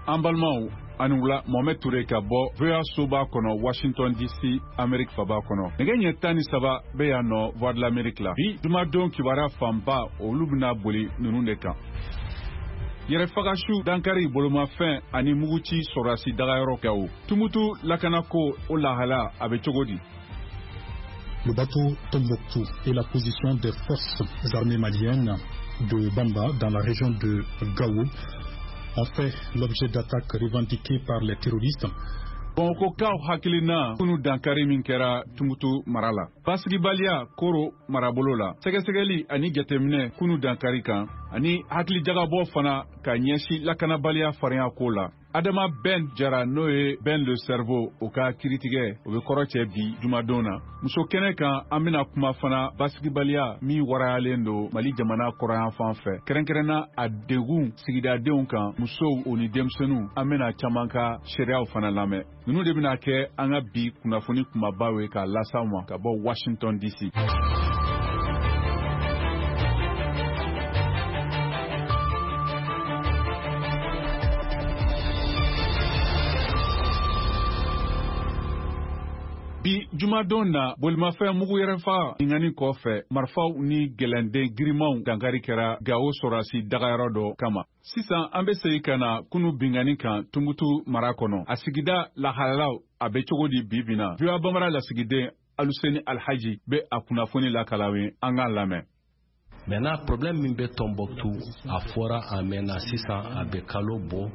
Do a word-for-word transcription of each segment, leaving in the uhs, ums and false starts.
An balimaw, ani wula. Mohamed Touré ka bɔ V O A soba kɔnɔ, Washington D C, Amérique faba kɔnɔ. Nɛgɛ ɲɛ tan ni saba bɛ yan nɔ, Voix de l'Amérique la. Bi jumadon kibaruya fanba, olu bɛna boli ninnu de kan: yɛrɛfagasu dankari, bolomafɛn ani muguci sɔrɔdasi dagayɔrɔ Gawo, Tumutu lakanako, o lahala a bɛ cogo di? Le bateau Tombouctou et la position des forces armées maliennes de Bamba dans la région de Gao ont fait l'objet d'attaques revendiquées par les terroristes. Bamakɔkaw hakilina kunu dankari min kɛra Tumutu mara la, basigibaliya Koro marabolo la, sɛgɛsɛgɛli ani jateminɛ kunu dankari kan, ani hakilijagabɔ fana ka ɲɛsin lakanabaliya farinya ko la. Adama Ben Jara, n'o ye Ben le Cerveau, o ka kiritigɛ, o bɛ kɔrɔ cɛ bi jumadon na. Muso kɛnɛ kan, an bɛna kuma fana basigibaliya min warayalen don Mali jamana kɔrɔyan fan fɛ, kɛrɛnkɛrɛnna a degun sigidadenw kan, musow o ni denmisɛnninw. An bɛna caman ka seereyaw fana lamɛn. Ninnu de bɛna kɛ an ka bi kunnafoni kumabaw ye k'a las'aw ma ka bɔ Washington D C. Bi jumadon na, bolimafɛn mugu yɛrɛfa binkanni kɔfɛ, marifaw ni gɛlɛnden girimanw dankari kɛra Gawo sɔrɔdasi dagayɔrɔ dɔ kama. Sisan an bɛ segin ka na kunu binkanni kan Tumutu mara kɔnɔ. A sigida lahalalaw a bɛ cogo di bi bi na? V O A Bambara lasigiden Aluseni Alhaji bɛ a kunnafoni lakala ye, an k'a lamɛn. Maintenant, problème min bɛ Tombouctou, a fɔra a mɛnna, sisan a bɛ kalo bɔ.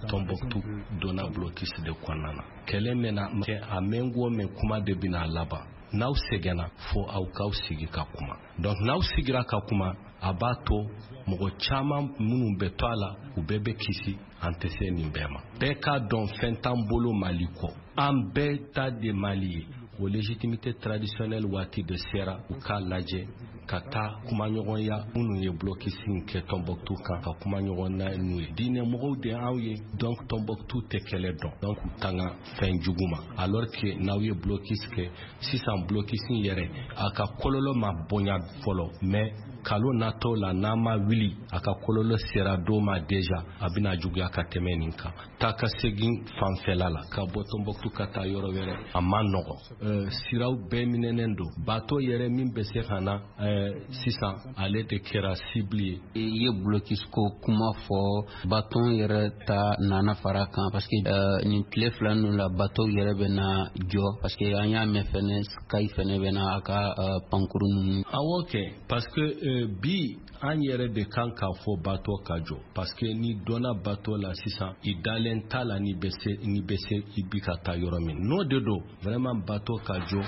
Tombouctou donna blocus de kɔnɔna na. Kɛlɛ mɛna kɛ a mɛn ko mɛn, kuma de bɛna laban. N'aw sɛgɛnna, fo aw k'aw sigi ka kuma. Donc n'aw sigira ka kuma, a b'a to mɔgɔ caman minnu bɛ to a la, u bɛɛ bɛ kisi. An tɛ se nin bɛɛ ma. Bɛɛ k'a dɔn, fɛn t'an bolo Mali kɔ, an bɛɛ ta de Mali ye. O légitimité traditionnelle waati de sera, u k'a lajɛ ka taa kumaɲɔgɔnya. Minnu ye blocus in kɛ Tombouctou kan, ka kumaɲɔgɔn na n'u ye. Diinɛ mɔgɔw de anw ye. Donc Tombouctou tɛ kɛlɛ dɔn, donc u tanga fɛn jugu ma. Alors que n'aw ye blocus kɛ sisan, blocus in yɛrɛ a ka kɔlɔlɔ ma bonya fɔlɔ, mais kalo natɔw la, n'a ma wuli, a ka kɔlɔlɔ sera dɔw ma déjà, a bɛna juguya ka tɛmɛ nin kan. Taa ka segin fanfɛla la, ka bɔ Tombouctou ka taa yɔrɔ wɛrɛ, a ma nɔgɔ. euh, siraw bɛɛ minɛnen don. Bateau yɛrɛ min bɛ se ka na euh, sisan, ale de kɛra cible ye. I ye blocus ko kuma fɔ, bateau yɛrɛ ta nana fara kan, parce que euh, nin tile fila ninnu la, bateau yɛrɛ bɛ na jɔ, parce que an y'a mɛn fɛnɛ, Sky fɛnɛ bɛ na a ka uh, pankuru ninnu. Awɔ kɛ, parce que euh, bi an yɛrɛ de kan k'a fɔ bateau ka jɔ, parce que ni donna bateau la sisan, i dalen t'a la ni bɛ se ni bɛ se i bi ka taa yɔrɔ min. N'o de don, vraiment bateau ka jɔ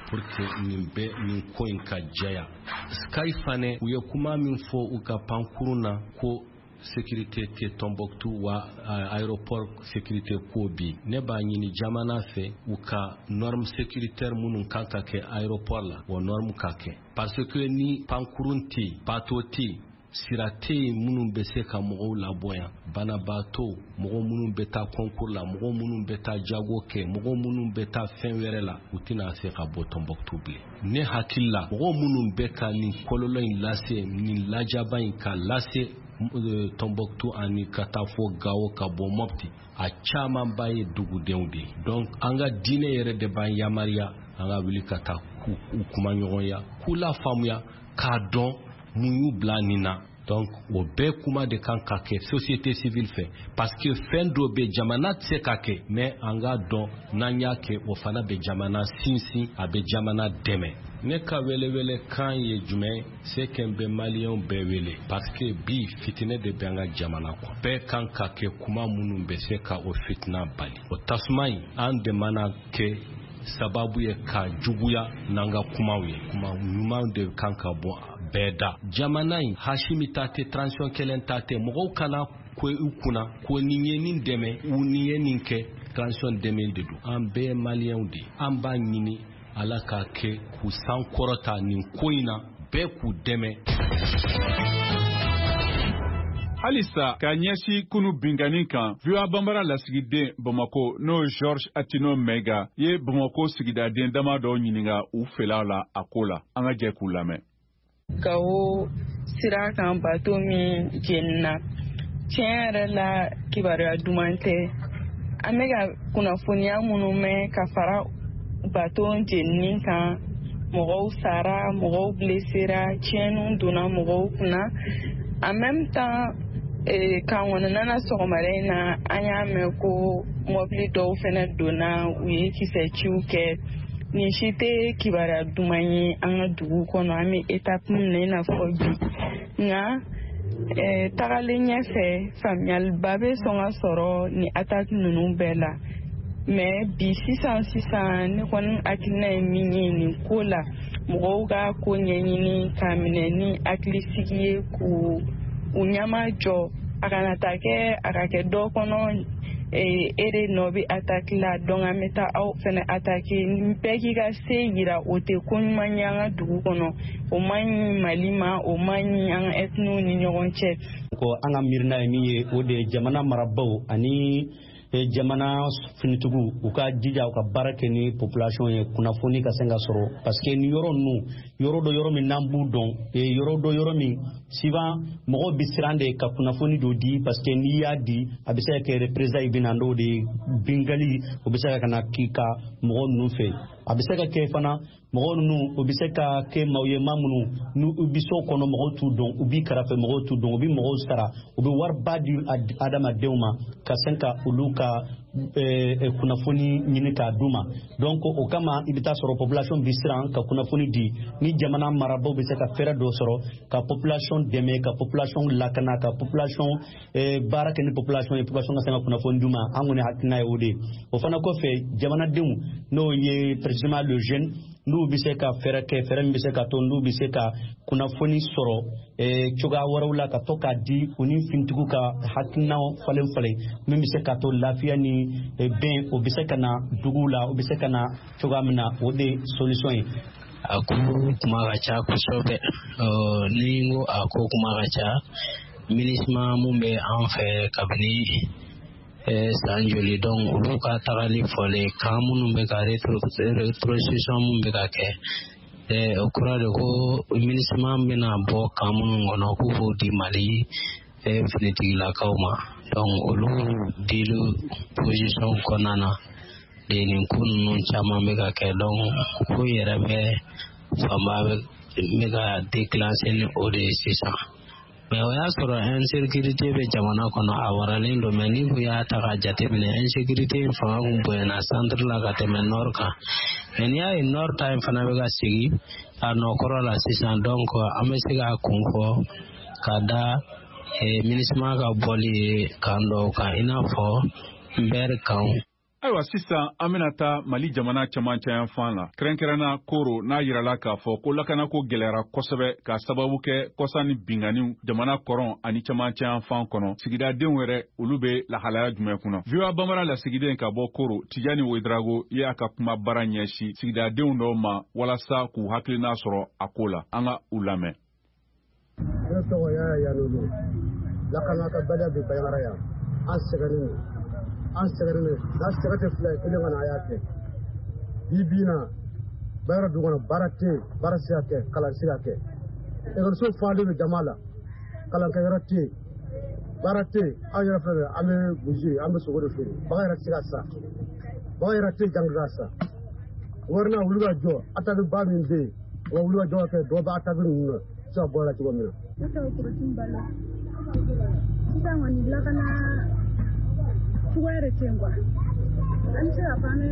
pour que nin bɛɛ, nin ko in ka jɛya. Sky fana, u ye kuma min fɔ u ka pankurun na ko sécurité tɛ Tombouctou wa aéroport sécurité ko bi, ne b'a ɲini jamana fɛ, u ka norme sécuritaire minnu kan ka kɛ aéroport la, o norme ka kɛ, parce que ni pankurun tɛ yen, bateau tɛ yen, sira tɛ yen minnu bɛ se ka mɔgɔw labɔ yan, banabaatɔ, mɔgɔ minnu bɛ taa concours la, mɔgɔ minnu bɛ taa jago kɛ, mɔgɔ minnu bɛ taa fɛn wɛrɛ la, u tɛna se ka bɔ Tombouctou bilen. Ne hakili la, mɔgɔ minnu bɛ ka nin kɔlɔlɔ in lase, nin lajaba in ka lase Tombouctou ani ka taa fɔ Gawo, ka bɔ Mopti, a camanba ye dugudenw de ye. Donc an ka diinɛ yɛrɛ de b'an yamaruya an ka wuli ka taa k'u kuma ɲɔgɔnya, k'u lafaamuya, k'a dɔn mun y'u bila nin na. Donc o bɛɛ kuma de kan ka kɛ société civile fɛ, parce que fɛn dɔ bɛ jamana tɛ se ka kɛ, mais an k'a dɔn n'an y'a kɛ, o fana bɛ jamana sinsin, a bɛ jamana dɛmɛ. Ne ka welewele kan ye jumɛn? C'est que n bɛ maliyɛnw bɛɛ wele, parce que bi fitinɛ de bɛ an ka jamana kɔnɔ. Bɛɛ kan ka kɛ kuma minnu bɛ se ka o fitina bali, o tasuma in, an de mana kɛ sababu ye ka juguya n'an ka kumaw ye. Kuma ɲuman de kan ka bɔ bɛɛ da. Jamana in, Asimi ta tɛ, transition kelen ta tɛ. Mɔgɔw kana ko u kunna ko nin ye nin dɛmɛ u nin ye nin kɛ, transition dɛmɛ de don. An bɛɛ ye maliyɛnw de ye. An b'a ɲini Ala k'a kɛ k'u san kɔrɔta nin ko in na, bɛɛ k'u dɛmɛ. Halisa ka ɲɛsin kunu binkanni kan, V O A Banbara lasigiden Bamako, n'o ye George Atino Mɛga ye, Bamako sigidaden dama dɔw ɲininga u fɛlaw la a ko la. An ka jɛ k'u lamɛn. Gawo sira kan, bateau min jenina. Tiɲɛ yɛrɛ la, kibaruya duman tɛ. An bɛ ka kunnafoniya minnu mɛn ka fara bato jenini kan, mɔgɔw sara, mɔgɔw blessera, tiɲɛniw donna mɔgɔw kunna. En même temps, kan kɔnɔna na, sɔgɔmada in na, an y'a mɛn ko mɔbili dɔw fɛnɛ donna, u ye kisɛ ciw kɛ. Nin si tɛ kibaruya duman ye an ka dugu kɔnɔ, an bɛ étape min na i n'a fɔ bi. Nka tagalen ɲɛfɛ, faamuyaliba bɛ sɔn ka sɔrɔ nin attaque ninnu bɛɛ la. Mais bi sisan sisan, ne kɔni hakilina ye min ye nin ko la, mɔgɔw ka ko ɲɛɲini k'a minɛ ni hakilisigi ye, k'u u ɲɛma jɔ, a kana taa kɛ a ka kɛ dɔ kɔnɔ e de nɔ bɛ attaque la, donc an bɛ taa aw fɛnɛ attaque. Bɛɛ k'i ka se yira, o tɛ ko ɲuman ye an ka dugu kɔnɔ, o man ɲi Mali ma, o man ɲi an ka ethnie ni ɲɔgɔn cɛ. Ko an ka miirina ye min ye, o de ye jamana marabaw ani jamana finitigiw, u ka jija u ka baara kɛ ni population ye, kunnafoni ka se ka sɔrɔ, parce que ni yɔrɔ ninnu, yɔrɔ dɔ, yɔrɔ min n'an b'u dɔn, yɔrɔ dɔ, yɔrɔ min souvent mɔgɔw bɛ siran de ka kunnafoni dɔ di, parce que n'i y'a di, a bɛ se ka kɛ représailles bɛ na n'o de ye, bingali o bɛ se ka na k'i ka mɔgɔ ninnu fɛ. A bɛ se ka kɛ fana mɔgɔ ninnu, o bɛ se ka kɛ maaw ye, maa minnu n'u bɛ so kɔnɔ, mɔgɔw t'u dɔn, u b'i kɛrɛfɛ, mɔgɔw t'u dɔn, u bɛ mɔgɔw sara, u bɛ wariba di adamadenw ma ka se ka olu ka kunnafoni ɲini k'a d'u ma. Donc o kama, i bɛ taa sɔrɔ population bɛ siran ka kunnafoni di. Ni jamana marabaaw bɛ se ka fɛɛrɛ dɔ sɔrɔ ka population dɛmɛ, ka population lakana, ka population baara kɛ ni population ye, population ka se ka kunnafoni d'u ma, an kɔni hakilina ye o de ye. O fana kɔfɛ, jamanadenw, n'o ye précisément le jeune, n'u bɛ se ka fɛɛrɛ kɛ, fɛɛrɛ min bɛ se ka to n'u bɛ se ka kunnafoni sɔrɔ cogoya wɛrɛw la ka to k'a di, u ni finitigiw ka hakilinaw falen falen, min bɛ se ka to lafiya ni bɛn o bɛ se ka na duguw la, o bɛ se ka na cogoya min na, o de ye solution ye. A ko kuma ka ca kosɛbɛ. Ni n ko a ko kuma ka ca, MINUSMA mun bɛ an fɛ kabini san joli, donc olu ka tagali fɔlen kan minnu bɛ ka rétrocession mun bɛ ka kɛ, o kɔrɔ de ko MINUSMA bɛna bɔ kan minnu kɔnɔ k'u b'o di Mali finitigilakaw ma. Donc olu dili position kɔnɔna na de, nin ko ninnu caman bɛ ka kɛ. Donc ko yɛrɛ bɛ fanba bɛ ka déclencher ni o de ye sisan. Mais o y'a sɔrɔ insécurité bɛ jamana kɔnɔ, a waralen don. Mais ni kun y'a ta k'a jateminɛ, insécurité in fanga kun bonyana centre la ka tɛmɛ nord kan. Mais n'i y'a ye nord ta in fana bɛ ka segin a nɔ kɔrɔ la sisan, donc an bɛ se k'a kun fɔ ka da MINUSMA ka bɔli ye kan dɔw kan, i n'a fɔ Mbɛri kan. Ayiwa, sisan an bɛna taa Mali jamana cɛmancɛ yanfan la, kɛrɛnkɛrɛnna Koro, n'a yirala k'a fɔ ko lakanako gɛlɛyara kosɛbɛ k'a sababu kɛ kɔsa ni binganiw jamana kɔrɔn ani cɛmancɛ yanfan kɔnɔ. Sigidadenw yɛrɛ, olu bɛ lahalaya jumɛn kunna? V O A Bambara lasigiden ka bɔ Koro, Tijani Wedrago, ye a ka kuma baara ɲɛsin sigidadenw dɔw ma walasa k'u hakilina sɔrɔ a ko la. An ka u lamɛn. Ne tɔgɔ Yaya Yanolo. Lakana ka baliya bɛ Banjagara yan. An sɛgɛnnen don, an sɛgɛnnen don n'a sɛgɛ tɛ fila ye kelen ka na, a y'a kɛ bi bi in na. Banjagara dugu kɔnɔ, baara tɛ yen, baara tɛ se ka kɛ, kalan tɛ se ka kɛ, ekɔliso falen bɛ jama la, kalankɛyɔrɔ tɛ yen, baara tɛ yen. An yɛrɛ filɛ, an bɛ burusi, an bɛ sogo de feere, bagan yɛrɛ tɛ se ka san, bagan yɛrɛ tɛ yen jango ka san. Wari wuli ka jɔ, attaque ba min bɛ yen, u ka wuli ka jɔ ka kɛ dɔ bɛ attaque ninnu na se ka bɔ a la cogo min na. Ne tɔgɔ Korotun Balo. Sisan kɔni, lakana cogoya de tɛ yen quoi. An bɛ se k'a fɔ an bɛ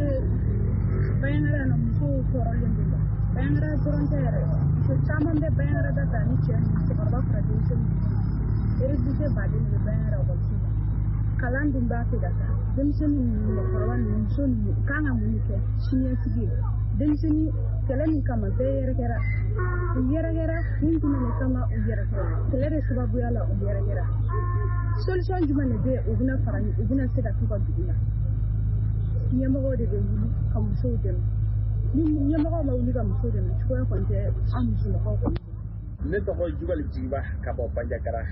Banjagara yan nɔ, musow tɔɔrɔlen don quoi. Banjagara dɔrɔn tɛ yɛrɛ, muso caman bɛ Banjagara da fɛ, ani cɛ ninnu, cɛkɔrɔba fara denmisɛnnin ninnu. Réfugié baden de bɛ Banjagara ekɔliso la. Kalan dun b'a fɛ ka taa. Denmisɛnnin ninnu, mɔgɔkɔrɔba ninnu, muso ninnu, u kan ka mun de kɛ siniɲɛsigi ye? Denmisɛnnin kɛlɛ min kama, bɛɛ yɛrɛkɛra. U yɛrɛkɛra kun jumɛn de kama? U yɛrɛkɛra kɛlɛ de sababuya la, u yɛrɛkɛra. Solution jumɛn de bɛ yen? U bɛna fara, u bɛna se ka t'u ka dugu la? Ɲɛmɔgɔw de bɛ wuli ka musow dɛmɛ. Ni ɲɛmɔgɔw ma wuli ka musow dɛmɛ, cogoya kɔni tɛ an musolakaw kɔni. Ne tɔgɔ Jubali Jigiba ka bɔ Banjagara.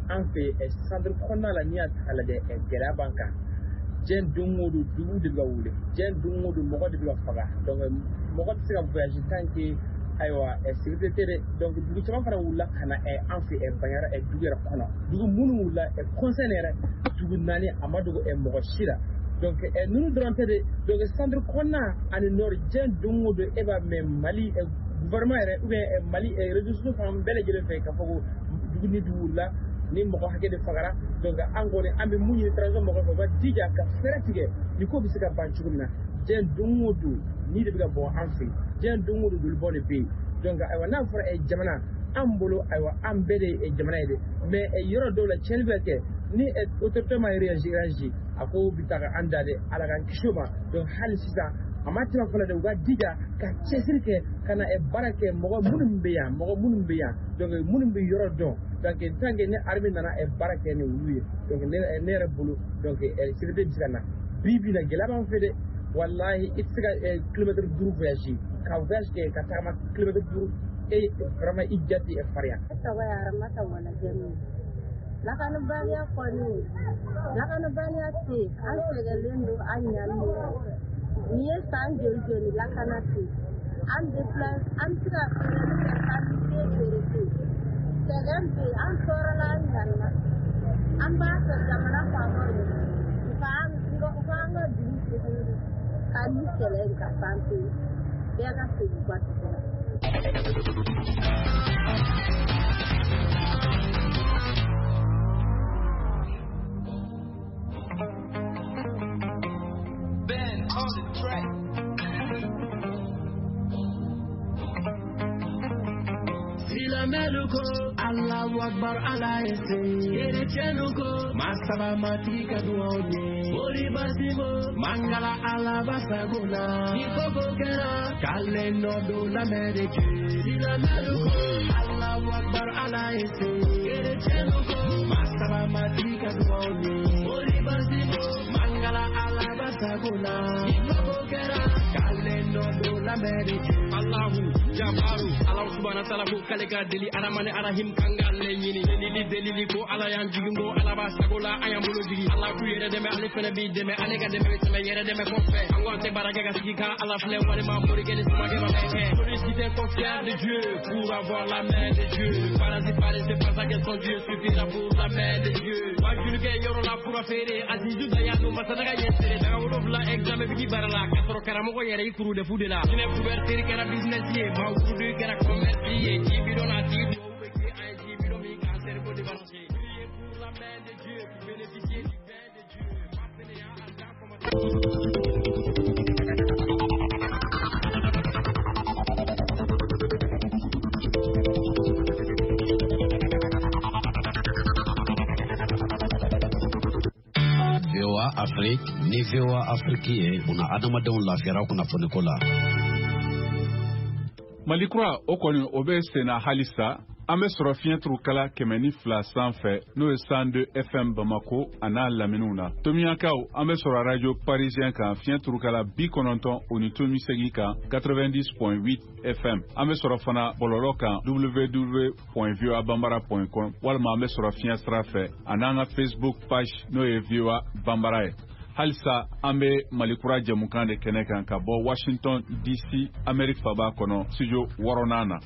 An fɛ centre kɔnɔna la, n'i y'a ta k'a lajɛ, gɛlɛya b'an kan. Diɲɛ don o don, dugu de bɛ ka wuli, diɲɛ don o don, mɔgɔ de bɛ ka faga. Donc mɔgɔ tɛ se ka voyage tant que Ayiwa sécurité tɛ dɛ. Donc dugu caman fana wulila ka na an fɛ Bandiagara dugu yɛrɛ kɔnɔ. Dugu minnu wulila conseil yɛrɛ dugu naani a ma dogo mɔgɔ si la. Donc ninnu dɔrɔn tɛ dɛ. Donc centre kɔnɔna ani nord diɲɛ don o don e b'a mɛn Mali gouvernement yɛrɛ ou bien Mali réseaux sociaux fan bɛɛ lajɛlen fɛ k'a fɔ ko dugu ni dugu wulila ni mɔgɔ hakɛ de fagara. Donc an kɔni an bɛ mun ɲini transition mɔgɔw fɛ, u ka jija ka fɛɛrɛ tigɛ ni ko bɛ se ka ban cogo min na. Diɲɛ don o don ni de bɛ ka bɔ an fɛ, diɲɛ don o don jolibɔn de bɛ yen. Donc ayiwa n'a fɔra jamana an bolo, ayiwa an bɛɛ de ye jamana ye dɛ, mais yɔrɔ dɔw la tiɲɛni bɛ kɛ ni autorité ma réagir réagir a ko bɛ taa ka an da dɛ, Ala k'an kisi o ma. Donc hali sisan a ma tɛmɛ fɔlɔ dɛ, u ka jija ka cɛsiri kɛ ka na baara kɛ mɔgɔ minnu bɛ yan, mɔgɔ minnu bɛ yan, donc minnu bɛ yɔrɔ dɔn. Donc tant que ni armée nana baara kɛ ni olu ye, donc ne ne yɛrɛ bolo donc sécurité bɛ se ka na. Bi bi in na gɛlɛya b'an fɛ dɛ, walahi i tɛ se ka kilomètre duuru voyage ka voyage kɛ ka tagama kilomètre duuru e vraiment i ja tɛ farinya. Ne tɔgɔ ye Aramata Walajɛmi. Lakanabaliya kɔni, lakanabaliya tɛ yen, an sɛgɛnlen don, an ɲannen don. Nin ye san joli joli lakana tɛ yen. An bɛ filɛ, an bɛ se ka feereli kɛ k'an bɛ den feere ten. Sɛgɛn bɛ yen, an tɔɔrɔla, an ɲanina. An b'a fɛ jamana faamaw ye, u k'an u k'an ka dugu segin ka ni kɛlɛ in ka ban pewu. Bɛɛ ka segin u ka dugu la. Ben on the track. Silamɛlu ko Allahu Akbar Ala ye se. Kerecɛnnu ko masaba matigi ka duwaw ye. Mori basibo mangala Ala basago la. Ni koko kɛra k'ale nɔ don l'Amérique. Silamɛlu ko Allahu Akbar Ala ye se. Kerecɛnnu ko masaba matigi ka duwaw ye. Mori basibo mangala Ala basago la. Ni koko kɛra k'ale nɔ don l'Amérique. Allahu Jabaru Ala subhana taala ko k'ale ka deli Aramani Arahim kan k'ale ɲini. Delili delili ko Ala y'an jigin ko Ala b'a sago la an y'an bolo jigin. Ala k'u yɛrɛ dɛmɛ ale fɛnɛ b'i dɛmɛ, ale ka dɛmɛ bɛ tɛmɛ yɛrɛ dɛmɛ kɔfɛ. An ko an tɛ baara kɛ ka sigi ka Ala filɛ walima morikɛ ni sumakɛ ma fɛn kɛ. Sollicitez confiance de Dieu pour avoir la main de Dieu. Parasite paresseux pense à que son Dieu suffira pour la main de Dieu. Wajulikɛ yɔrɔ la fura feere Azizu Dayanu Masadaga ye seere. Daga wolonwula examen bɛ k'i baara la k'a sɔrɔ karamɔgɔ yɛrɛ i kuru de fu de la. Jinɛ couverture kɛra business ye, maaw kurudu kɛra commerce ye. Ji bidon a tigi duwawu bɛ kɛ an ye ji bidon min k'an cerveau débranché. Priez pour la main de Dieu pour bénéficier du pain de Dieu. Ma fainéant a commencé. V O A Afrique ni V O A Afrique ye una adamadenw lafiyara kunnafoniko la. Mali kura o kɔni o bɛ senna halisa. An bɛ sɔrɔ fiɲɛ turukala kɛmɛ ni fila sanfɛ n'o ye cent deux F M Bamako a n'a laminiw na. Tomiɲankaw an bɛ sɔrɔ radio parisien kan fiɲɛ turukala bi kɔnɔntɔn o ni tomi segin kan quatre-vingt-dix point huit F M. An bɛ sɔrɔ fana bɔlɔlɔ kan w w w point voa bambara point com walima an bɛ sɔrɔ fiɲɛ sira fɛ a n'an ka Facebook page n'o ye V O A Bambara ye. Halisa an bɛ Mali kura jɛmukan de kɛnɛ kan ka bɔ Washington D C Amérique faba kɔnɔ studio wɔɔrɔnan na.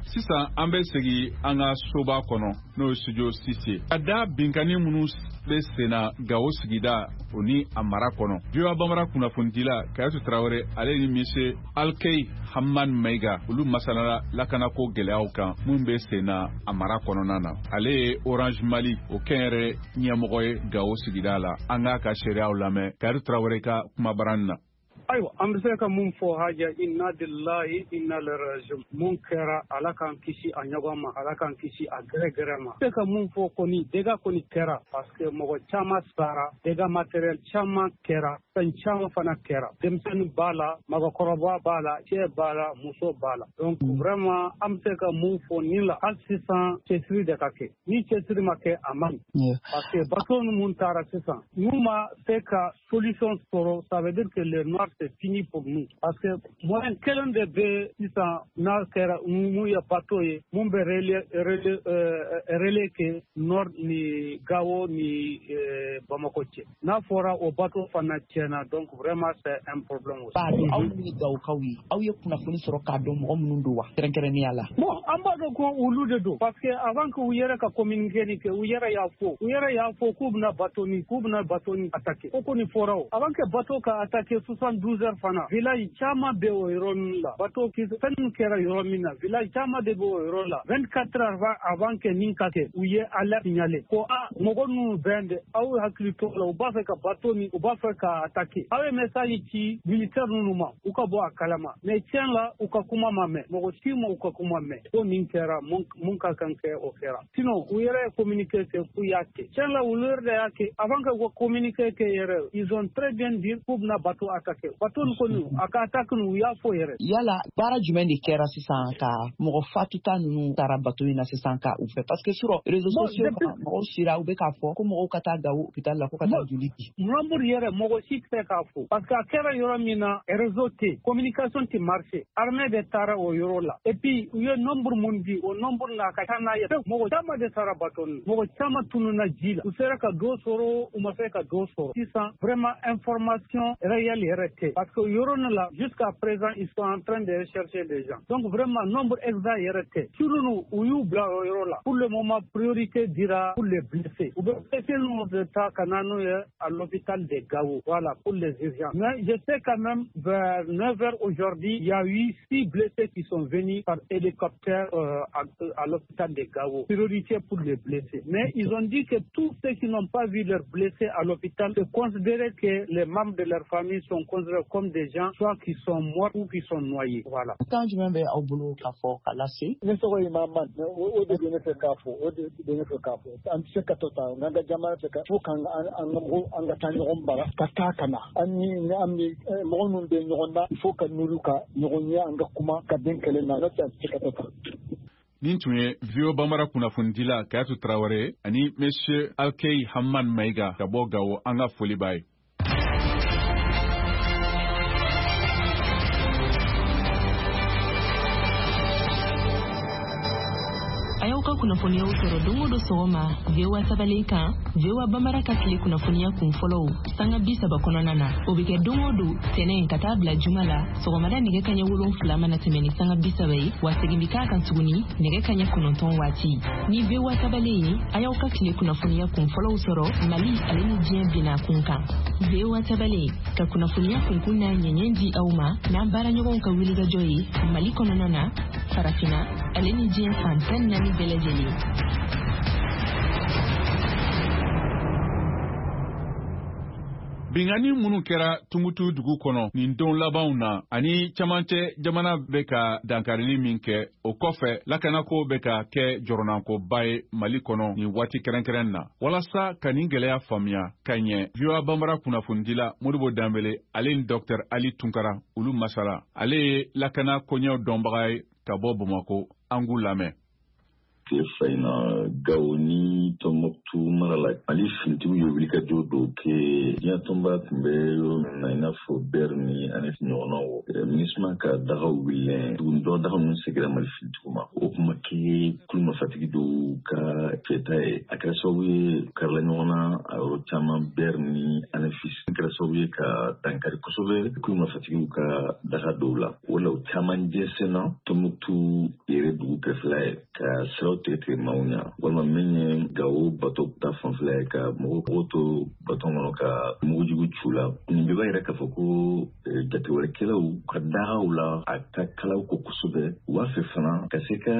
Sisan an bɛ segin an ka soba kɔnɔ n'o ye studio six ye. Ka da binkanni minnu bɛ senna Gawo sigida o ni a mara kɔnɔ. V O A Bambara kunnafonidila Kayatu Tarawele ale ni Monsieur Alkey Hamman Mayiga olu masalala lakanako gɛlɛyaw kan minnu bɛ senna a mara kɔnɔna na. Ale ye Orange Mali o kɛnyɛrɛ ɲɛmɔgɔ ye Gawo sigida la. An k'a ka seereyaw lamɛn Kayatu Tarawele ka kumabarani na. Ayiwa an bɛ se ka mun fɔ haja inna lillahi inna ilaihi rajiun. Mun kɛra Ala k'an kisi a ɲɔgɔn ma, Ala k'an kisi a gɛrɛgɛrɛ ma. Se ka mun fɔ kɔni dégâts kɔni kɛra parce que mɔgɔ caman sara, dégâts matériel caman kɛra, fɛn caman fana kɛra. Denmisɛnnin b'a la, mɔgɔkɔrɔba b'a la, cɛ b'a la, muso b'a la. Donc vraiment an bɛ se ka mun fɔ nin la hali sisan cɛsiri de ka kɛ. Ni cɛsiri ma kɛ a man ɲi. Parce que bateau ninnu taara sisan n'u ma se ka solution sɔrɔ, ça veut dire que le nord c'est fini pour nous. Parce que moyen kelen de bɛ sisan n'a kɛra mun ye bateau ye mun bɛ relais relais relais kɛ nord ni Gao ni Bamako cɛ. N'a fɔra o bateau fana tiɲɛna, donc vraiment c'est un problème aussi. Aw ni Gawokaw ye, aw ye kunnafoni sɔrɔ k'a dɔn mɔgɔ minnu don wa kɛrɛnkɛrɛnnenya la? Bon, an b'a dɔn ko olu de don, parce que avant que u yɛrɛ ka communiqué nin kɛ, u yɛrɛ y'a fɔ u yɛrɛ y'a fɔ k'u bɛna bateau nin k'u bɛna bateau nin attaquer. O kɔni fɔra o. Avant que bateau ka attaquer soixante-douze heures fana, village caman bɛ o yɔrɔ ninnu la. Bateau fɛn min kɛra yɔrɔ min na, village caman de bɛ o yɔrɔ la. vingt-quatre heures avant que nin ka kɛ, u ye alerte signalé ko a mɔgɔ ninnu bɛn de, aw hakili to la, u b'a fɛ ka bateau nin u b'a fɛ ka attaquer. Aw ye message ci militaire ninnu ma, u ka bɔ a kalama. Mais tiɲɛ la, u ka kuma ma mɛn, mɔgɔ si ma u ka kuma mɛn. Ko nin kɛra, mun ka kan kɛ o kɛra. Sinon u yɛrɛ ye communiqué kɛ k'u y'a kɛ. Tiɲɛ la, olu yɛrɛ de y'a kɛ. Avant que u ka communiqué kɛ yɛrɛ, ils ont très bien dit k'u bɛna bateau attaquer. Bateau nin kɔni a ka attaque nin, u y'a fɔ yɛrɛ. Yala baara jumɛn de kɛra sisan ka mɔgɔ fatuta ninnu taara bateau in na sisan ka u fɛ? Parce que sur réseaux sociaux kan, mɔgɔw sira u bɛ k'a fɔ ko mɔgɔw ka taa Gao hôpital la ko ka taa joli di. Nombre yɛrɛ mɔgɔ si tɛ k'a fɔ, parce que a kɛra yɔrɔ min na, réseau tɛ, communication tɛ marché. Armée de taara o yɔrɔ la. Et puis u ye nombre mun di, o nombre n'a ka ca n'a ye. Mɔgɔ caman de taara bateau nin, mɔgɔ caman tununna ji la. U sera ka dɔ sɔrɔ, u ma se ka dɔ sɔrɔ. Sisan vraiment information réelle yɛrɛ tɛ, parce que yɔrɔ nin la jusqu'à présent ils sont en train de rechercher des gens. Donc vraiment nombre exact yɛrɛ tɛ. Surtout u y'u bila o yɔrɔ la. Pour le moment priorité dira pour les blessés. U bɛ blessés ninnu de ta ka na n'u ye à l'hôpital de Gao. Voilà pour les urgences. Mais je sais quand même vers neuf heures aujourd'hui, il y a eu six blessés qui sont venus par hélicoptère euh, à, à l'hôpital de Gao. Priorité pour les blessés. Mais ils ont dit que tous ceux qui n'ont pas vu leurs blessés à l'hôpital, c'est considéré que les membres de leur famille sont considérés comme des gens soit qui sont morts ou qui sont noyés. Voilà. Kan jumɛn bɛ aw bolo k'a fɔ ka lase? Ne tɔgɔ ye Mahamad. O de bɛ ne fɛ k'a fɔ, o de bɛ ne fɛ k'a fɔ. An tɛ se ka to tan, n'an ka jamana tɛ ka fo k'an an ka mɔgɔw an ka taa ɲɔgɔn bara ka taa ka na. An ni an bɛ mɔgɔ minnu bɛ ɲɔgɔn na, il faut ka n'olu ka ɲɔgɔn ye, an ka kuma ka bɛn kɛlɛ na, n'o tɛ an tɛ se ka to tan. Nin tun ye V O A Bambara kunnafonidila Kayatu Tarawele ani Monsieur Alkei Hamman Maïga ka bɔ Gawo, an ka foli b'a ye. A y'aw ka kunnafoniyaw sɔrɔ don o don sɔgɔma V O A sabalen kan, V O A Bambara ka tile kunnafoniya kun fɔlɔw sanga bi saba kɔnɔna na. O bɛ kɛ don o don tɛnɛn ka taa bila juma la sɔgɔmada nɛgɛ kaɲɛ wolonfila mana tɛmɛ ni sanga bi saba ye, wa segin bɛ k'a kan tuguni nɛgɛ kaɲɛ kɔnɔntɔn waati. Ni V O A sabalen ye, a y'aw ka tile kunnafoniya kun fɔlɔw sɔrɔ Mali ale ni diɲɛ binna kun kan. V O A sabalen ka kunnafoniya kunkun n'a ɲɛɲɛ di aw ma n'an baaraɲɔgɔnw ka wulikajɔ ye Mali kɔnɔna na, Farafinna ale ni diɲɛ fan tan ni naani bɛɛ lajɛlen. Binkanni minnu kɛra Tumutu dugu kɔnɔ nin don labanw na ani camancɛ jamana bɛ ka dankarili min kɛ, o kɔfɛ lakanako bɛ ka kɛ jɔrɔnankoba ye Mali kɔnɔ nin waati kɛrɛnkɛrɛn na. Walasa ka nin gɛlɛya faamuya ka ɲɛ, V O A Bambara kunnafonidila Modibo Danbele ale ni Docteur Ali Tunkara olu masala. Ale ye lakana koɲɛw dɔnbaga ye ka bɔ Bamakɔ, an k'u lamɛn. Tile fila in na, Gawo ni Tɔnbɔkutu mara la, Mali finitigiw ye wulikajɔ dɔw kɛ diɲɛ tɔnba tun bɛ yɔrɔ min na, i n'a fɔ Bɛri ni Anif ɲɔgɔnnaw. MINUSMA ka dagaw wulilen tuguni, dɔ daga ninnu seginna Mali finitigiw ma. O kuma kɛ kulu marifatigi dɔw ka fɛta ye, a kɛra sababu ye karila ɲɔgɔn na a yɔrɔ caman Bɛri ni Anefis. A kɛra sababu ye ka dankari kosɛbɛ kulu marifatigiw ka daga dɔw la. O la, o caman jɛnsɛnna Tɔnbɔkutu yɛrɛ dugu kɛrɛfɛla ye ka siraw tigɛ tigɛ maaw ɲɛ, walima min ye Gawo bato ta fanfɛla ye ka mɔgɔw to bato kɔnɔ ka mugujugu cu la. Nin bɛɛ b'a yira k'a fɔ ko jatewarekɛlaw ka dagaw la a ka kalaw ko kosɛbɛ. U b'a fɛ fana ka se ka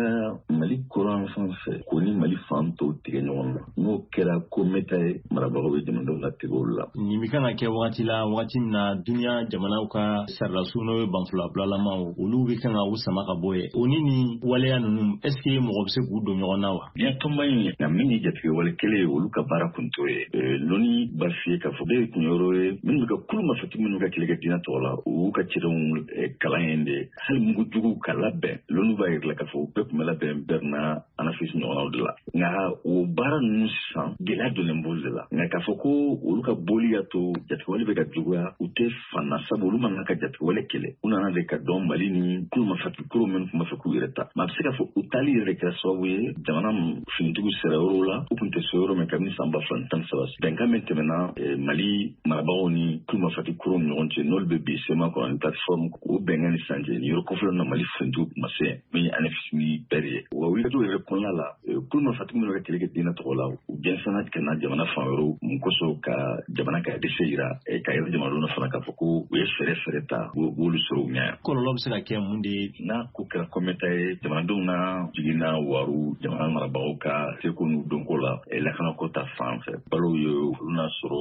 Mali kɔrɔn fan fɛ k'o ni Mali fan tɔw tigɛ ɲɔgɔn na. N'o kɛra ko mɛta ye, marabagaw bɛ jamanadenw latigɛ olu la. Nin bɛ kan ka kɛ wagati la, wagati min na duniya jamanaw ka saridasu n'o ye banfulabilalamaw, olu bɛ kan ka u sama ka bɔ ye. O ni nin waleya ninnu, est ce que mɔgɔ bɛ se k'u don ɲɔgɔn na wa? Diɲɛ tɔnba in ye nka min ye jatigɛwale kɛlɛ ye, olu ka baara kun t'o ye. Lɔnni b'a f'i ye k'a fɔ bɛɛ ye kunyɔrɔ ye minnu bɛ ka kulu marifatigi minnu ka kɛlɛ kɛ diinɛ tɔgɔ la, u y'u ka cɛdenw kalan yen de. Hali mugujuguw ka labɛn, lɔnni b'a yira k'a fɔ u bɛɛ tun bɛ labɛn Bɛri na Anafis ɲɔgɔnnaw de la. Nka o baara ninnu sisan gɛlɛya donnen b'olu de la. Nka k'a fɔ ko olu ka boli y'a to jatigɛwale bɛ ka juguya, u tɛ fan na, sabu olu mana ka jatigɛwale kɛlɛ. U nana de ka dɔn Mali ni kulu marifatigi kuru minnu tun b'a fɛ k'u yɛrɛ ta. Maa bɛ se k'a fɔ u taali yɛrɛ kɛra sababu ye jamana finitigiw sera yɔrɔw la, u tun tɛ se yɔrɔ min kabini san ba fila ni tan ni saba. Bɛnkan min tɛmɛna Mali marabagaw ni kulu marifatigi kuruw ni ɲɔgɔn cɛ, n'olu bɛ bi C M A kɔnɔ ni plateforme, o bɛnkan ni sisan cɛ, nin yɔrɔ kɔfɛla na Mali finitigiw tun ma se min ye A N F S ni bɛɛ ye. U ka wulikajɔw yɛrɛ kɔnɔna la, kulu marifatigi minnu bɛ kɛlɛ kɛ diinɛ tɔgɔ la, u jɛnsɛnna ka na jamana fan wɛrɛw mun kosɔn ka jamana ka dɛsɛ yira, ka yɛrɛ jamanadenw na fana k'a fɔ ko u ye fɛɛrɛ fɛɛrɛ ta, u b'olu sɔrɔ u ɲɛ. Kɔlɔlɔ bɛ se ka kɛ mun de ye? N'a ko kɛra kɔmɛta ye, jamanadenw na jiginna waru jamana marabagaw ka seko n'u dɔnko la lakanako ta fan fɛ. Balow ye olu n'a sɔrɔ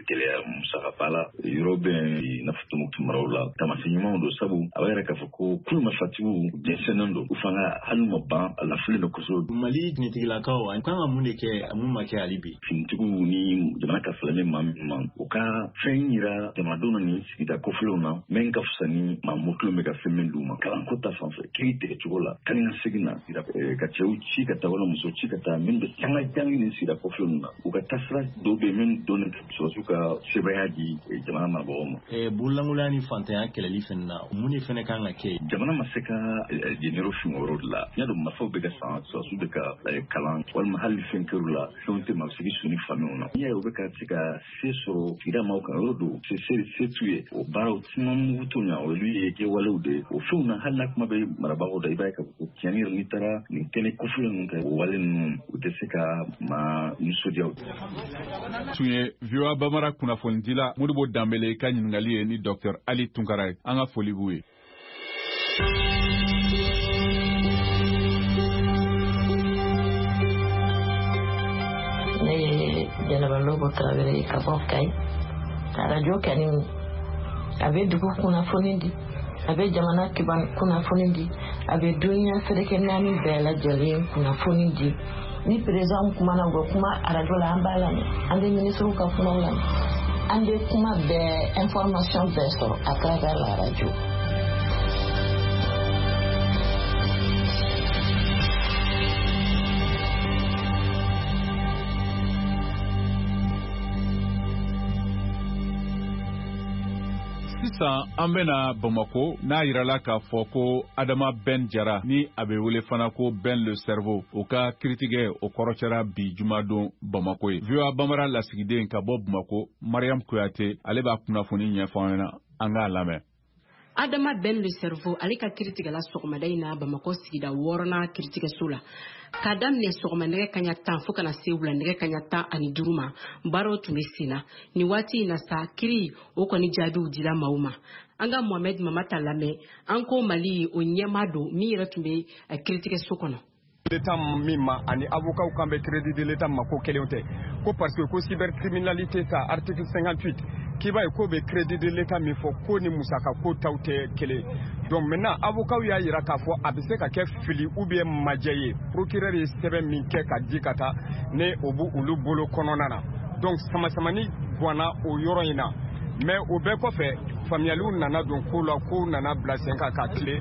gɛlɛya musakaba la yɔrɔ bɛ i n'a fɔ Tɔnbukutu maraw la. Taamasiyɛn ɲumanw don, sabu a b'a yira k'a fɔ ko kulu marifatigiw jɛnsɛnnen don, u fanga hali ma ban, a lafililen don kosɛbɛ. Mali finitigilakaw an kan ka mun de kɛ mun ma kɛ hali bi? Finitigiw ni jamana ka filɛ maa min ma, u ka fɛn yira jamanadenw na nin sigida kɔfɛlenw na min ka fisa ni maa mɔkilenw bɛ ka fɛn min d'u ma. Kalanko ta fan fɛ, kiiri tigɛcogo la, kan ka segin na ka cɛw ci ka taa wala muso ci ka taa min bɛ sanga jangi nin sigida kɔfɛlenw na. U ka taasira dɔw bɛ min dɔnnen sɔrɔdasiw ka sebaaya di jamana marabagaw ma. Bololankolonya ni fantanya kɛlɛli fɛnɛ na, mun de fɛnɛ kan ka kɛ? Jamana ma se ka jenero fin o yɔrɔ de la. N y'a dɔn marifaw bɛ ka san, sɔrɔdasiw bɛ ka kalan, walima hali fɛn kɛr'u la, fɛnw tɛ maa bɛ se k'i su ni faamuw na. N'i y'a ye u bɛ ka se ka se sɔrɔ sigida maaw kan, yɔrɔ don se se t'u ye. O baaraw caman mugu t'o ɲɛ, olu ye kɛwalew de ye. O fɛnw na, hali n'a kuma bɛ marabagaw da, i b'a ye k'a fɔ ko tiɲɛni yɛrɛ n'i taara nin kɛnɛ kɔfɛlen ninnu kan, o wale ninnu u tɛ se ka maa nisɔndiya. Tun ye V O A Bambara kunnafonidila Modibo Danbele ka ɲininkali ye ni Docteur Ali Tunkara ye. An ka foli b'u ye. Ne ye Jɛnɛba Lobo Tarawele ye ka bɔ Kayi. Arajo kɛni, a bɛ dugu kunnafoni di, a bɛ jamana kunnafoni di, a bɛ duniya seleke naani bɛɛ lajɛlen kunnafoni di. Ni président kumana, u bɛ kuma arajo la, an b'a lamɛn, an bɛ minisiriw ka kumaw lamɛn, an bɛ kuma bɛɛ, information bɛɛ sɔrɔ à travers la radio. Sisan an bɛna Bamako, n'a yirala k'a fɔ ko Adama Ben Jara, ni a bɛ wele fana ko Ben le Cerveau, o ka kiritigɛ o kɔrɔcɛra bi jumadon Bamako ye. V O A Bambara lasigiden ka bɔ Bamako, Mariam Kuyate, ale b'a kunnafoni ɲɛfɔ an ɲɛna, an k'a lamɛn. Adama Ben le Cerveau, ale ka kiritigɛla sɔgɔmada in na Bamakɔ sigida wɔɔrɔnan kiritigɛso la, k'a daminɛ sɔgɔma nɛgɛ kaɲa tan fo kana se wula nɛgɛ kaɲa tan ani duuru ma, baaraw tun bɛ sen na. Nin waati in na sa, kiri o kɔni jaabiw dira maaw ma. An ka Mohamɛd Mamata lamɛn. An ko Mali o ɲɛmaa don min yɛrɛ tun bɛ kiritigɛso kɔnɔ. L'État min ma ani avocat kan bɛ crédit de l'État ma, ko kelenw tɛ ko, parce que ko cybercriminalité ta article cinquante-huit k'i b'a ye k'o bɛ crédit de l'État min fɔ, ko ni musaka ko taw tɛ kelen. Donc maintenant avocat y'a yira k'a fɔ a bɛ se ka kɛ fili ou bien majɛ ye, procureur ye sɛbɛn min kɛ ka di ka taa ne o b'u olu bolo kɔnɔna na. Donc samasamani ganna o yɔrɔ in na. Mais o bɛɛ kɔfɛ, faamuyaliw nana don ko la, kow nana bila sen kan ka tile.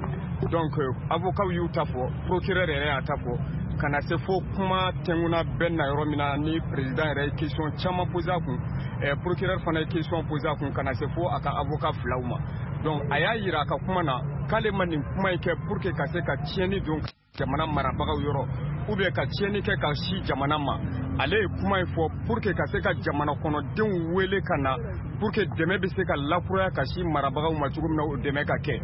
Donc avocat y'u ta fɔ, procureur yɛrɛ y'a ta fɔ, ka na se fo kuma tɛnkunna bɛɛ na yɔrɔ min na ni président yɛrɛ ye question caman posé a kun, eh, procureur fana ye question posé a kun, ka na se fo a ka avocat filaw ma. Donc a y'a yira a ka kuma na k'ale ma nin kuma in kɛ pour que ka se ka tiɲɛni don jamana marabagaw yɔrɔ ou bien ka tiɲɛni kɛ ka si jamana ma. Ale ye kuma in fɔ pour que ka se ka jamana kɔnɔdenw wele ka na pour que dɛmɛ bɛ se ka lakuraya ka si marabagaw ma cogo min na, o dɛmɛ ka kɛ.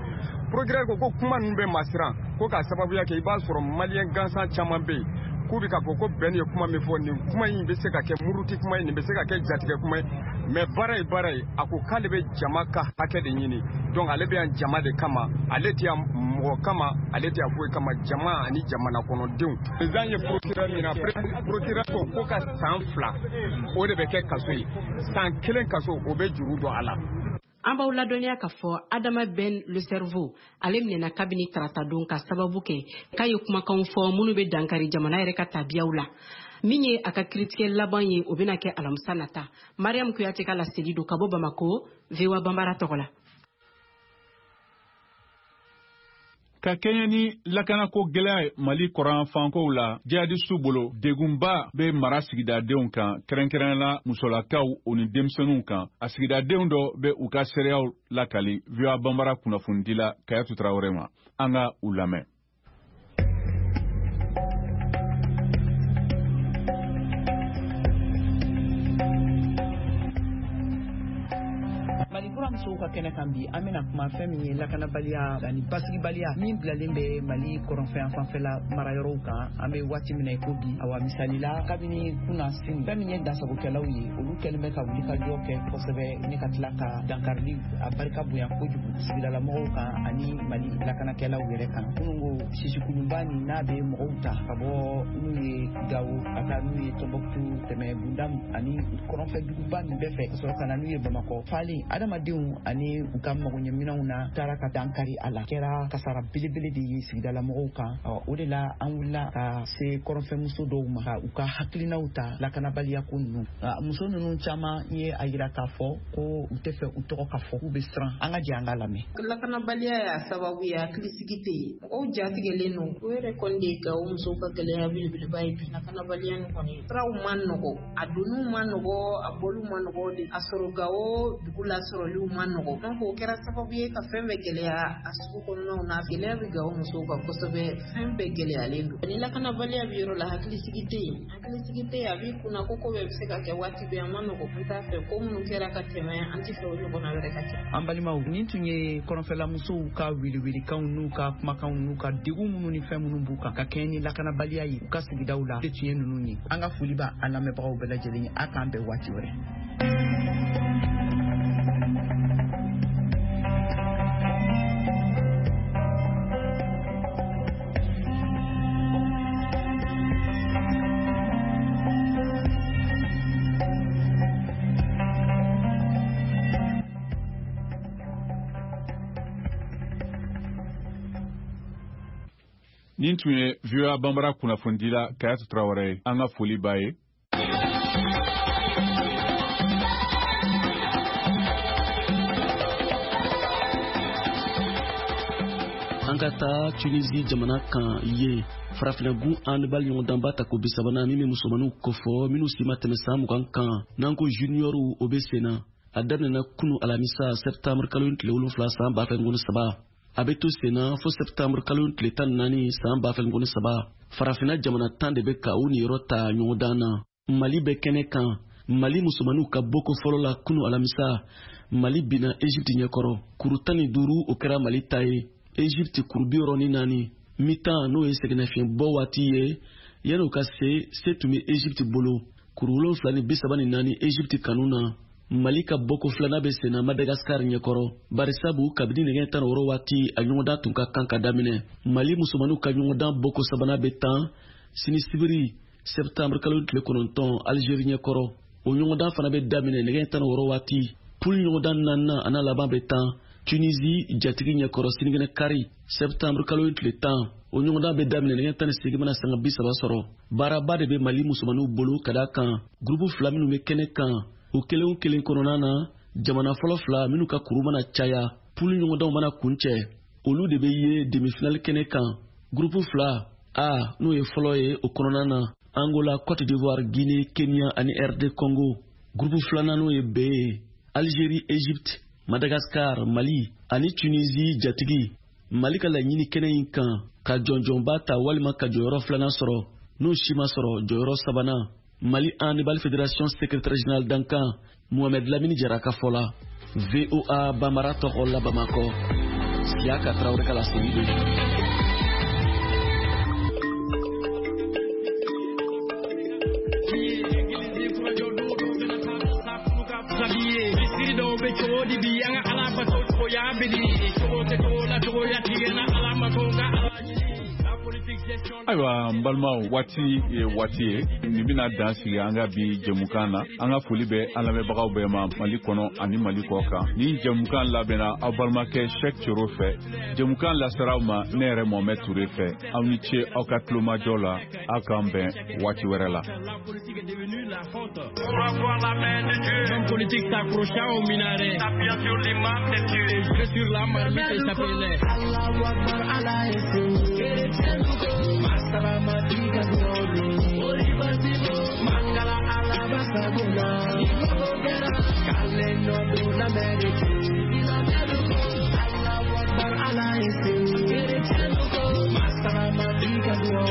Procureur ko ko kuma ninnu bɛ masiran ko k'a sababuya kɛ i b'a sɔrɔ maliyɛn gansan caman bɛ yen k'u bɛ k'a fɔ ko bɛn ye kuma min fɔ, nin kuma in bɛ se ka kɛ muruti kuma ye, nin bɛ se ka kɛ jatigɛ kuma ye. Mais baara ye baara ye. A ko k'ale bɛ jama ka hakɛ de ɲini. Donc ale bɛ yan jama de kama, ale tɛ yan mɔgɔ kama, ale tɛ yan foyi kama, jama ani jamana kɔnɔdenw. Président ye procureur min na, procureur ko ko ka san fila o de bɛ kɛ kaso ye, san kelen kaso o bɛ juru don a la. An b'aw ladɔnniya k'a fɔ Adama Ben le Cerveau, ale minɛna kabini taratadon ka sababu kɛ k'a ye kumakanw fɔ minnu bɛ dankari jamana yɛrɛ ka tabiyaw la. Min ye a ka kiritigɛ laban ye, o bɛna kɛ alamisa nata. Mariam Kuyate ka laseli don ka bɔ Bamako, V O A Bambara tɔgɔ la. Ka kɛɲɛ ni lakanako gɛlɛya ye Mali kɔrɔnfankow la, jihadistu bolo, degunba bɛ mara sigidadenw kan, kɛrɛnkɛrɛnnenya la musolakaw o ni denmisɛnninw kan. A sigidadenw dɔ bɛ u ka seereyaw lakali V O A Banbara kunnafonidila Kayatu Tarawele ma. An ka u lamɛn. Musow ka kɛnɛ kan bi, an bɛna kuma fɛn min ye lakanabaliya ani basigibaliya min bilalen bɛ Mali kɔrɔnfɛ fanfɛla marayɔrɔw kan an bɛ waati min na i ko bi. Awa misali la, kabini kunna sini, fɛn min ye dansagokɛlaw ye, olu kɛlen bɛ ka wulikajɔ kɛ kosɛbɛ ne ka tila ka dankarili a barika bonya kojugu sigidalamɔgɔw kan ani Mali lakanakɛlaw yɛrɛ kan. Minnu ko sisikulunba nin n'a bɛ mɔgɔw ta ka bɔ n'u ye Gawo ka taa n'u ye Tɔnbɔkutu, tɛmɛ Bundam ani kɔrɔnfɛ duguba nin bɛɛ fɛ ka sɔrɔ ka na n'u ye Bamakɔ. Falen adamadenw ani u ka magoɲɛminɛnw na taara ka dankari a la, kɛra kasara belebele de ye sigidalamɔgɔw kan. O de la an wulila ka se kɔrɔnfɛmuso dɔw ma ka u ka hakilinaw ta lakanabaliya ko ninnu. Muso ninnu caman ye a yira k'a fɔ ko u tɛ fɛ u tɔgɔ ka fɔ, k'u bɛ siran. An ka jɛ an ka lamɛn. Lakanabaliya y'a sababu ye, hakilisigi tɛ yen, mɔgɔw jatigɛlen don. O yɛrɛ kɔni de ye Gawo musow ka gɛlɛya belebeleba ye bi. Lakanabaliya nin kɔni, siraw ma nɔgɔ, a donniw ma nɔgɔ, a bɔliw ma nɔgɔ de. A sɔrɔ Gawo dugu lasɔrɔliw ma nɔgɔ. Donc o kɛra sababu ye ka fɛn bɛɛ gɛlɛya a sugu kɔnɔnaw na. Gɛlɛya bɛ Gawo musow kan kosɛbɛ, fɛn bɛɛ gɛlɛyalen don. Ni lakanabaliya bɛ yɔrɔ la, hakilisigi tɛ yen, hakilisigi tɛ yen, a b'i kunna ko ko bɛɛ bɛ se ka kɛ waati bɛɛ, a ma nɔgɔ. An t'a fɛ ko minnu kɛra ka tɛmɛ, an tɛ fɛ o ɲɔgɔnna wɛrɛ ka kɛ. An balimaw, nin tun ye kɔrɔnfɛlamusow ka welewelekanw n'u ka kumakanw n'u ka degun minnu ni fɛn minnu b'u kan ka kɛɲɛ ni lakanabaliya ye u ka sigidaw la, de tun ye ninnu ye. An ka foli b'a an lamɛnbagaw bɛɛ lajɛlen ye. A k'an bɛn waati wɛrɛ. Nin tun ye V O A Banbara kunnafonidila Kayatu Tarawele ye. An ka foli b'a ye. An ka taa Tunisie jamana kan yen, farafinna-gun handball ɲɔgɔndanba tako bi sabanan min bɛ musomaninw kofɔ minnu si ma tɛmɛ san mugan kan, n'an ko juniɔriw, o bɛ sen na. A daminɛna kunu alamisa septembre kalo tile wolonfila san ba fila ni saba. A bɛ to sen na fo septembre kalo tile tan ni naani san ba fila ni saba. Farafinna jamana tan de bɛ ka u niyɔrɔ ta ɲɔgɔndan na. Mali bɛ kɛnɛ kan. Mali musomaninw ka bɔko fɔlɔ la kunu alamisa, Mali binna Egypte ɲɛkɔrɔ. Kuru tan ni duuru o kɛra Mali ta ye. Egypte kuru bi wɔɔrɔ ni naani. Mi-temps n'o ye sɛgɛnnafiɲɛbɔ waati ye, yan'o ka se, se tun bɛ Egypte bolo. Kuru wolonfila ni bi saba ni naani Egypte kanu na. Mali ka bɔko filanan bɛ senna Madagascar ɲɛkɔrɔ, barisabu kabini nɛgɛ tan ni wɔɔrɔ waati a ɲɔgɔndan tun ka kan ka daminɛ. Mali musomaninw ka ɲɔgɔndan bɔko sabanan bɛ tan sini sibiri septembre kalo tile kɔnɔntɔn Algérie ɲɛkɔrɔ. O ɲɔgɔndan fana bɛ daminɛ nɛgɛ tan ni wɔɔrɔ waati. Poule ɲɔgɔndan naaninan a n'a laban bɛ tan Tunisie jatigi ɲɛkɔrɔ sinikɛnɛ kari septembre kalo tile tan. O ɲɔgɔndan bɛ daminɛ nɛgɛ tan ni seegin mana sanga bi saba sɔrɔ. Baaraba de bɛ Mali musomaninw bolo ka d'a kan gurupu fila minnu bɛ kɛnɛ kan, o kelen o kelen kɔnɔna na, jamana fɔlɔ fila minnu ka kuru mana caya, pulu ɲɔgɔndanw mana kuncɛ, olu de bɛ ye demi-finale kɛnɛ kan. Gurupu fila A n'o ye fɔlɔ ye, o kɔnɔna na Angola, Côte d'Ivoire, Guinée, Kenya ani R D Congo. Gurupu filanan n'o ye B ye, Algérie, Égypte, Madagascar, Mali ani Tunisie jatigi. Mali ka laɲini kɛnɛ in kan ka jɔnjɔnba ta walima ka jɔyɔrɔ filanan sɔrɔ, n'o si ma sɔrɔ jɔyɔrɔ sabanan. Mali Handball Fédération secrétaire général dankan Mohamed Lamini Jara ka fɔ la. V O A Bambara tɔgɔ la Bamakɔ, Siaka Traoré ka laseli don. Ayiwa n balimaw, waati ye waati ye nin bɛna dan sigi an ka bi jɛmukan na. An ka foli bɛ an lamɛnbagaw bɛɛ ma Mali kɔnɔ ani Mali kɔ kan. Ni jɛmukan labɛnna aw balimakɛ Cheick Thioro fɛ, jɛmukan lasera aw ma ne yɛrɛ Mohamed Touré fɛ. Aw ni ce aw ka tulomajɔ la, aw k'an bɛn waati wɛrɛ la. L'homme politique s'accrocha au minaret, s'appuyant sur l'imam des dieux, et sur la marmite et s'appelait Allahu Akbar, Allah est Masalamati Kadolo, Olibasibo, Mangala Alabasagona, Ibabogera, Kale no do la merite, Allahu Akbar, Allah est Masalamati Kadolo,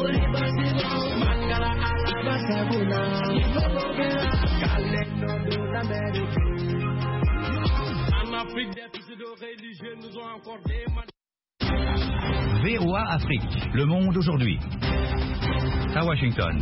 Olibasibo, Mangala Alabasagona, Ibabogera, Kale no do la merite. En Afrique, des pseudo-religieux nous ont encore des V O A Afrique, le monde aujourd'hui. À Washington.